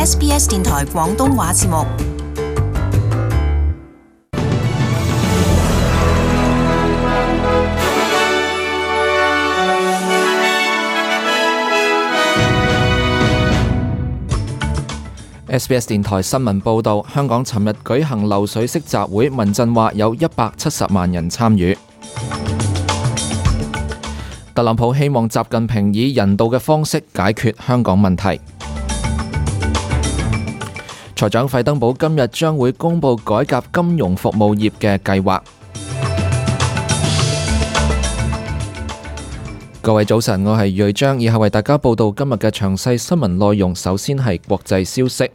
SBS 電台廣東話節目。SBS 電台新聞報導，香港尋日舉行流水式集會，民陣話有170萬人參與。特朗普希望習近平以人道嘅方式解決香港問題。財長費登堡今日將會公布改革金融服務業嘅計劃。各位早晨，我係瑞章，以下為大家報道今日嘅詳細新聞內容。首先係國際消息。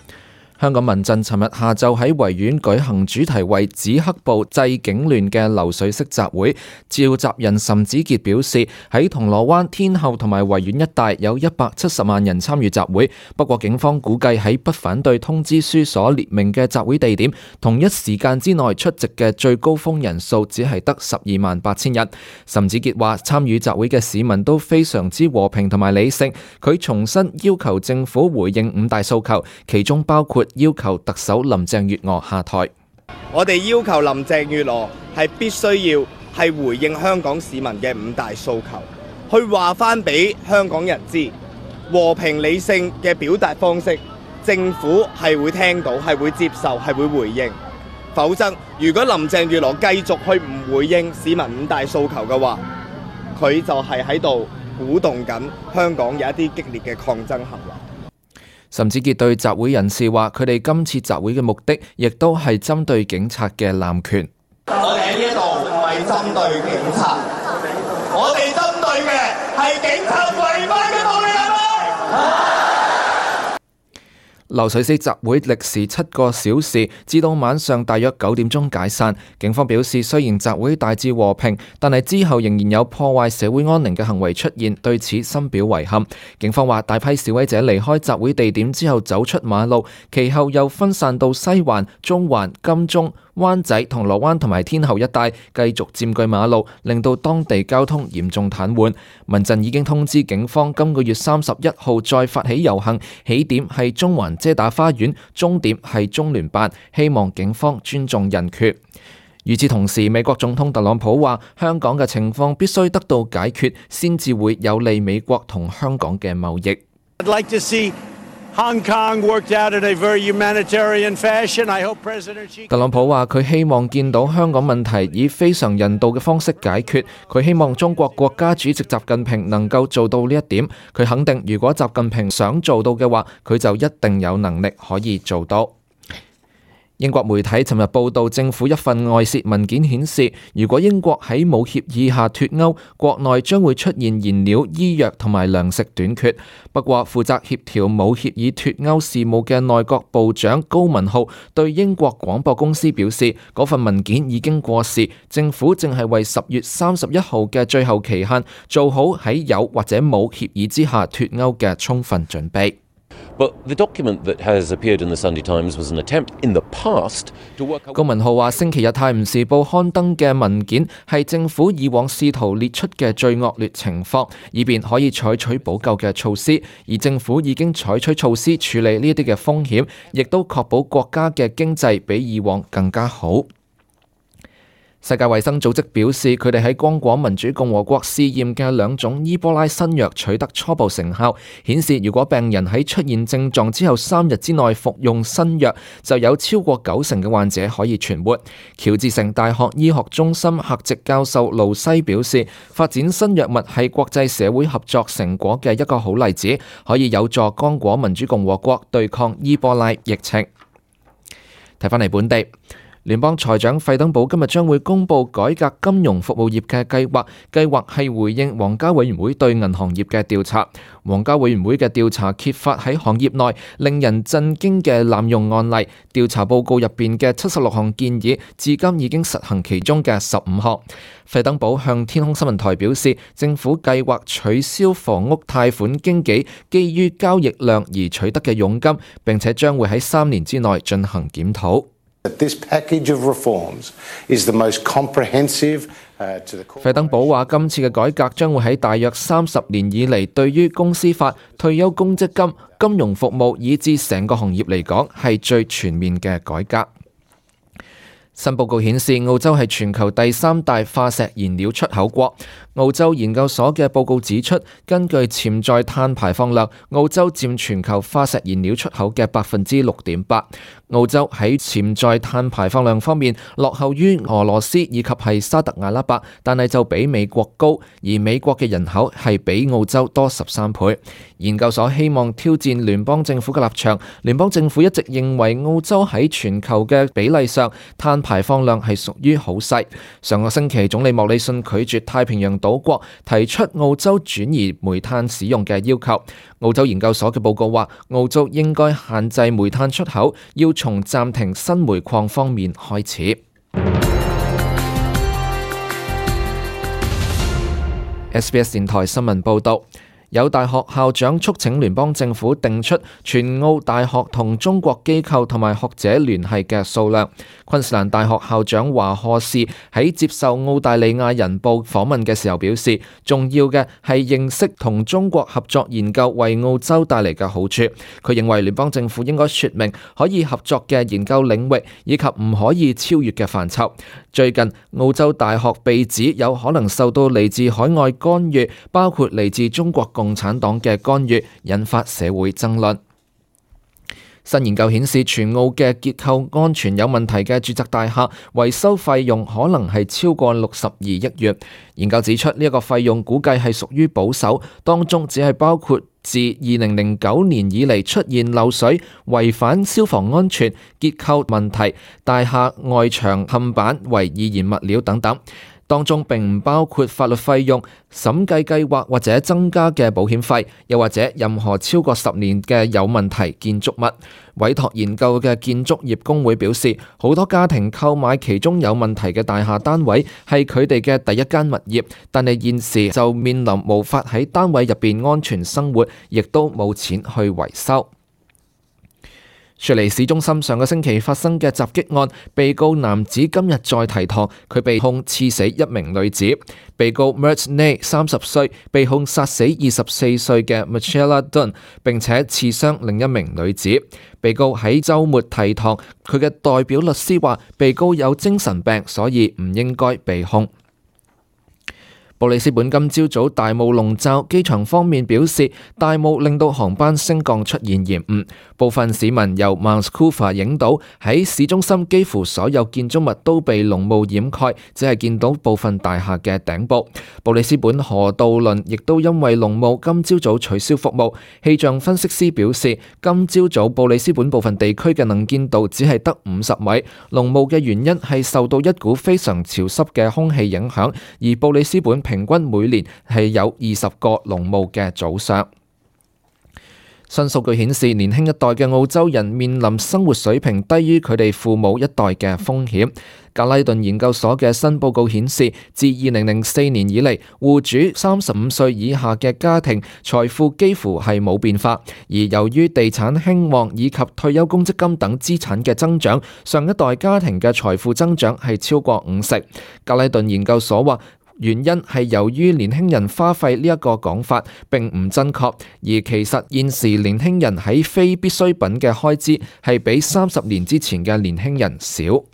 香港民陣尋日下晝喺維園舉行主題為止黑暴、制警亂嘅流水式集會，召集人岑子傑表示，喺銅鑼灣、天后同埋維園一帶有170萬人參與集會，不過警方估計喺不反對通知書所列明嘅集會地點，同一時間之內出席嘅最高峰人數只係得128,000人。岑子傑話，參與集會嘅市民都非常之和平同埋理性，佢重申要求政府回應5大訴求，其中包括要求特首林鄭月娥下台。我哋要求林鄭月娥係必須要係回應香港市民嘅5大訴求，去話翻俾香港人知，和平理性嘅表達方式，政府係會聽到、係會接受、係會回應。否則，如果林鄭月娥繼續去唔回應市民5大訴求嘅話，佢就係喺度鼓動緊香港有一啲激烈嘅抗爭行為。岑子傑對集會人士話，佢哋今次集會嘅目的，亦都係針對警察嘅濫權。我哋喺呢一度唔係針對警察，我哋針對嘅係警察違法嘅暴力行為。流水式集會歷時7個小時，至到晚上大約9點鐘解散。警方表示，雖然集會大致和平，但係之後仍然有破壞社會安寧嘅行為出現，對此深表遺憾。警方話，大批示威者離開集會地點之後走出馬路，其後又分散到西環、中環、金鐘、灣仔、銅鑼灣同埋天后一帶，繼續佔據馬路，令到當地交通嚴重癱瘓。民陣已經通知警方，今個月31號再發起遊行，起點係中環遮打花園，終點係中聯辦，希望警方尊重人權。與此同時，美國總統特朗普話，香港嘅情況必須得到解決，先至會有利美國同香港嘅貿易。特朗普話，佢希望見到香港問題以非常人道嘅方式解決。佢希望中國國家主席習近平能夠做到呢一點。佢肯定，如果習近平想做到嘅話，佢就一定有能力可以做到。英國媒體尋日報道，政府一份外泄文件顯示，如果英國喺冇協議下脫歐，國內將會出現燃料、醫藥同埋糧食短缺。不過，負責協調冇協議脫歐事務嘅內閣部長高文浩對英國廣播公司表示，嗰份文件已經過時，政府正係為10月31號嘅最後期限做好喺有或者冇協議之下脫歐嘅充分準備。高文浩話，星期日《泰晤士報》刊登嘅文件係政府以往試圖列出嘅最惡劣情況，以便可以採取補救嘅措施，而政府已經採取措施處理呢啲嘅風險，亦都確保國家嘅經濟比以往更加好。世界衛生組織表示，佢哋喺剛果民主共和國試驗嘅2種伊波拉新藥取得初步成效，顯示如果病人喺出現症狀之後3日之內服用新藥，就有超過90%嘅患者可以存活。喬治城大學醫學中心客席教授盧西表示，發展新藥物係國際社會合作成果嘅一個好例子，可以有助剛果民主共和國對抗伊波拉疫情。睇返嚟本地。聯邦財長費登堡今日將會公布改革金融服務業嘅計劃，計劃係回應皇家委員會對銀行業嘅調查。皇家委員會嘅調查揭發喺行業內令人震驚嘅濫用案例，調查報告入邊嘅76項建議，至今已經實行其中嘅15項。費登堡向天空新聞台表示，政府計劃取消房屋貸款經紀基於交易量而取得嘅佣金，並且將會喺3年之內進行檢討。This package of reforms is the most comprehensive. 費登堡話：今次嘅改革將會喺大約30年以嚟，對於公司法、退休公積金、金融服務以至成個行業嚟講，係最全面嘅改革。新報告顯示，澳洲係全球第3大化石燃料出口國。澳洲研究所嘅報告指出，根據潛在碳排放量，澳洲佔全球化石燃料出口嘅6.8%。澳洲喺潛在碳排放量方面落後於俄羅斯以及係沙特阿拉伯，但係就比美國高，而美國嘅人口係比澳洲多13倍。研究所希望挑戰聯邦政府嘅立場，聯邦政府一直認為澳洲喺全球嘅比例上碳排放量係屬於好細。上個星期，總理莫里遜拒絕太平洋島國提出澳洲轉移煤炭使用嘅要求。澳洲研究所嘅報告話，澳洲應該限制煤炭出口，要從暫停新煤礦方面開始。SBS 電台新聞報導。有大學校長促請聯邦政府定出全澳大學同中國機構同埋學者聯繫嘅數量。昆士蘭大學校長華賀士喺接受澳大利亞人報訪問嘅時候表示，重要嘅係認識同中國合作研究為澳洲帶嚟嘅好處。佢認為聯邦政府應該說明可以合作嘅研究領域以及唔可以超越嘅範疇。最近澳洲大學被指有可能受到嚟自海外干預，包括嚟自中國共產黨嘅干預，引發社會爭論。新研究顯示，全澳嘅結構安全有問題嘅住宅大廈維修費用可能係超過62億元。研究指出，呢一個費用估計係屬於保守，當中只係包括自2009年以嚟出現漏水、違反消防安全、結構問題、大廈外牆嵌板為易燃物料等等。當中並唔包括法律費用、審計計劃或者增加嘅保險費，又或者任何超過10年嘅有問題建築物。委託研究嘅建築業工會表示，好多家庭購買其中有問題嘅大廈單位係佢哋嘅第一間物業，但係現時就面臨無法喺單位入邊安全生活，亦都冇錢去維修。雪梨市中心上個星期發生嘅襲擊案，被告男子今日再提堂，佢被控刺死一名女子。被告 Mert Nay 30歲，被控殺死24歲嘅 Michelle Dunn， 並且刺傷另一名女子。被告喺週末提堂，佢嘅代表律師話，被告有精神病，所以唔應該被控。布里斯本今朝早大霧籠罩，機場方面表示大霧令到航班升降出現延誤，部分市民由 Mount Coolpah 影到喺市中心幾乎所有建築物都被濃霧掩蓋，只係見到部分大廈嘅頂部。布里斯本河渡輪亦都因為濃霧今朝早取消服務。氣象分析師表示，今朝早布里斯本部分地區嘅能見度只係得50米，濃霧嘅原因係受到一股非常潮濕嘅空氣影響，而布里斯本平均每年係有20個濃霧嘅早上。新數據顯示，年輕一代嘅澳洲人面臨生活水平低於佢哋父母一代嘅風險。格拉頓研究所嘅新報告顯示，自2004年以嚟，戶主35歲以下嘅家庭財富幾乎係冇變化，而由於地產興旺以及退休公積金等資產嘅增長，上一代家庭嘅財富增長係超過50%。格拉頓研究所話，原因係由於年輕人花費呢一個講法並唔真確，而其實現時年輕人喺非必需品嘅開支係比30年之前嘅年輕人少。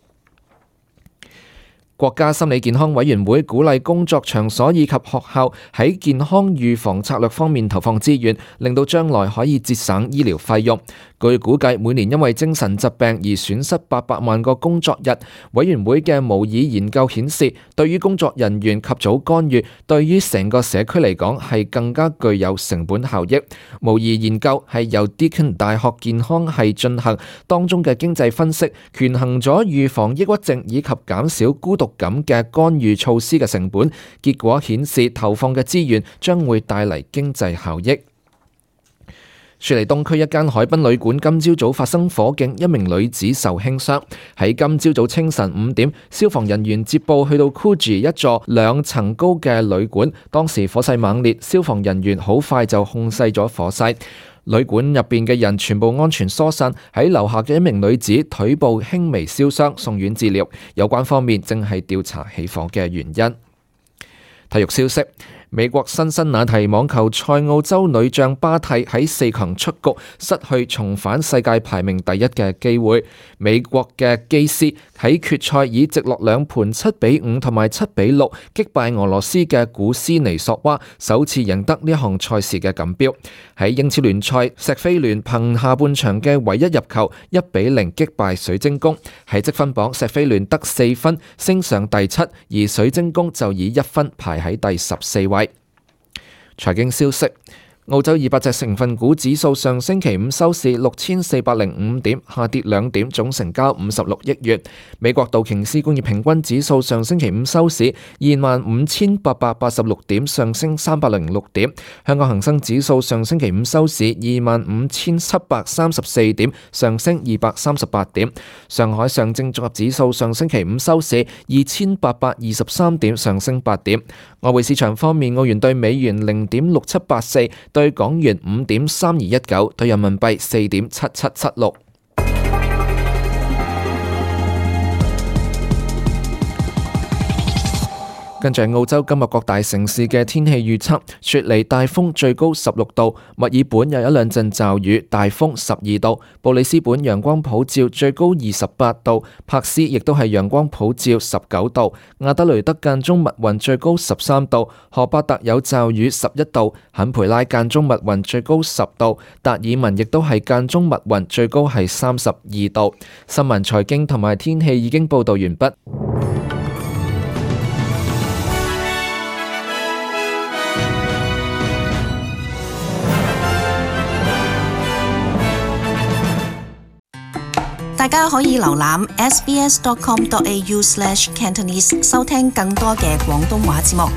國家心理健康委員會鼓勵工作場所以及學校喺健康預防策略方面投放資源，令到將來可以節省醫療費用。據估計，每年因為精神疾病而損失800萬個工作日。委員會嘅模擬研究顯示，對於工作人員及早干預，對於成個社區嚟講係更加具有成本效益。模擬研究係由 Deakin 大學健康系進行，當中嘅經濟分析權衡咗預防抑鬱症以及減少孤獨感嘅干預措施嘅成本，結果顯示投放嘅資源將會帶嚟經濟效益。雪梨東區一間海濱旅館今朝早發生火警，一名女子受輕傷。喺今朝早清晨5點，消防人員接報去到 Coogee 一座2層高嘅旅館，當時火勢猛烈，消防人員好快就控制咗火勢。旅館入邊嘅人全部安全疏散，喺樓下嘅一名女子腿部輕微燒傷，送院治療。有關方面正係調查起火嘅原因。體育消息。美國辛辛那提網球賽澳洲女將巴蒂喺4強出局，失去重返世界排名第一嘅機會。美國嘅基斯喺決賽以直落兩盤7-5同埋7-6擊敗俄羅斯嘅古斯尼索娃，首次贏得呢一項賽事嘅錦標。喺英超聯賽，錫菲聯憑下半場嘅唯一入球1-0擊敗水晶宮。喺積分榜，錫菲聯得4分，升上第7，而水晶宮就以1分排喺第14位。財經消息。澳洲200隻成分股指數上星期五收市6405點，下跌2點，總成交56億元。美國道瓊斯工業平均指數上星期五收市25886點，上升306點。香港恒生指數上星期五收市25734點，上升238點。上海上證綜合指數上星期五收市2823點，上升8點。外匯市場方面，澳元對美元0.6784。對港元5.3219，對人民幣4.7776。跟住澳洲今日各大城市嘅天氣預測：雪梨大風最高16度，墨爾本有一兩陣驟雨，大風12度；布里斯本陽光普照，最高28度；珀斯亦都係陽光普照19度；亞德雷德間中密雲，最高13度；荷伯特有驟雨11度；坎培拉間中密雲，最高10度；達爾文亦都係間中密雲，最高係32度。新聞、財經同埋天氣已經報道完畢。大家可以瀏覽 sbs.com.au/cantonese 收聽更多嘅廣東話節目。